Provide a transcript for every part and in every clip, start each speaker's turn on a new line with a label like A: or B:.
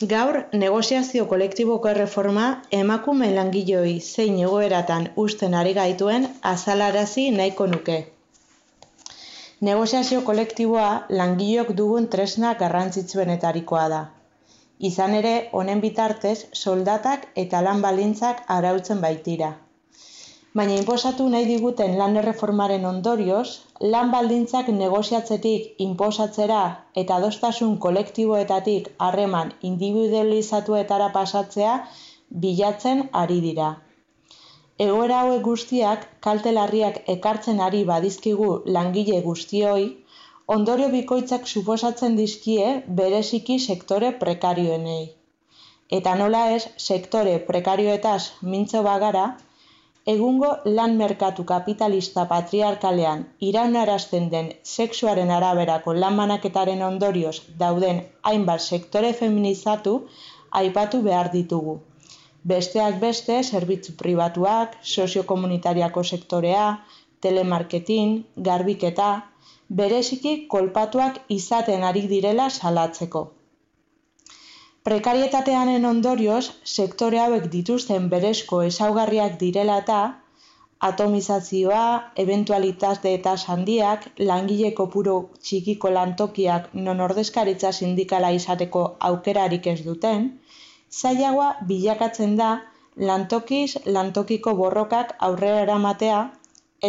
A: Gaur, negoziazio kolektiboko erreforma emakume langileoi zein egoeratan uzten ari gaituen azalarazi nahiko nuke. Negoziazio kolektiboa langileok dugun tresna garrantzitsuenetarikoa da. Izan ere, honen bitartez, soldatak eta lan baldintzak arautzen baitira. Baina inposatu nahi diguten lan erreformaren ondorioz, lan baldintzak negoziatzetik inposatzera eta adostasun kolektiboetatik harreman individualizatuetara pasatzea bilatzen ari dira. Egoera hauek guztiak kalte larriak ekartzen ari badizkigu langile guztioi, ondorio bikoitzak suposatzen dizkie bereziki sektore prekarioenei. Eta nola ez, sektore prekarioetaz mintzo bagara, egungo lan merkatu kapitalista patriarkalean iraunarazten den sexuaren araberako lan banaketaren ondorioz dauden hainbat sektore feminizatu aipatu behar ditugu. Besteak beste, zerbitzu pribatuak, soziokomunitariako sektorea, telemarketing, garbiketa, bereziki kolpatuak izaten ari direla salatzeko. Prekarietatearen ondorioz, sektore hauek dituzten berezko ezaugarriak direla eta atomizazioa, ebentualitate tasa handiak, langile kopuru txikiko lantokiak non ordezkaritza sindikala izateko aukerarik ez duten, zailagoa bilakatzen da lantokiz lantokiko borrokak aurrera eramatea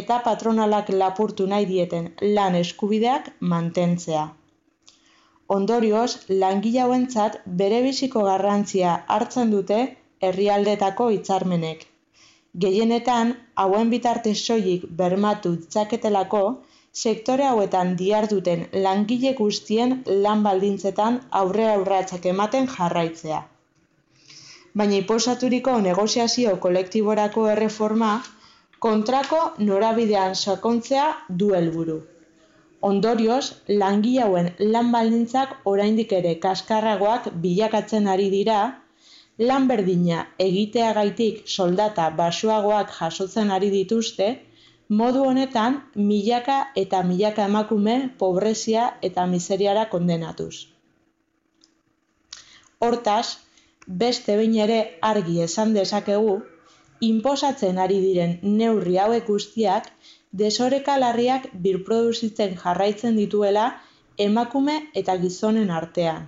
A: eta patronalak lapurtu nahi dieten lan eskubideak mantentzea. Ondorioz, langile hauentzat berebiziko garrantzia hartzen dute herrialdeetako hitzarmenek. Gehienetan, hauen bitartez soilik bermatu ditzaketelako, sektore hauetan diharduten langile guztien lan baldintzetan aurrerapausoak ematen jarraitzea. Baina inposaturiko negoziazio kolektiborako erreforma kontrako norabidean sakontzea du helburu. Ondorioz, langile hauen lan baldintzak oraindik ere kaskarragoak bilakatzen ari dira, lan berdina egiteagatik soldata baxuagoak jasotzen ari dituzte, modu honetan milaka eta milaka emakume pobrezia eta miseriara kondenatuz. Hortaz, beste behin ere argi esan dezakegu, inposatzen ari diren neurri hauek guztiak desoreka larriak birproduzitzen jarraitzen dituela emakume eta gizonen artean.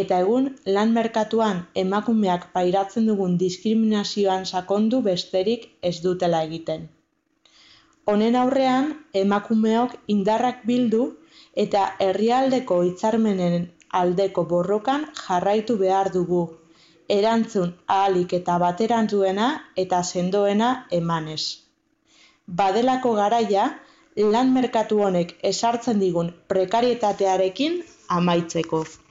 A: Eta egun lan merkatuan emakumeak pairatzen dugun diskriminazioan sakondu besterik ez dutela egiten. Honen aurrean, emakumeok indarrak bildu eta herrialdeko hitzarmenen aldeko borrokan jarraitu behar dugu, erantzun ahalik eta baterantzuena eta sendoena emanez. Badelako garaia, lan merkatu honek ezartzen digun prekarietatearekin amaitzeko.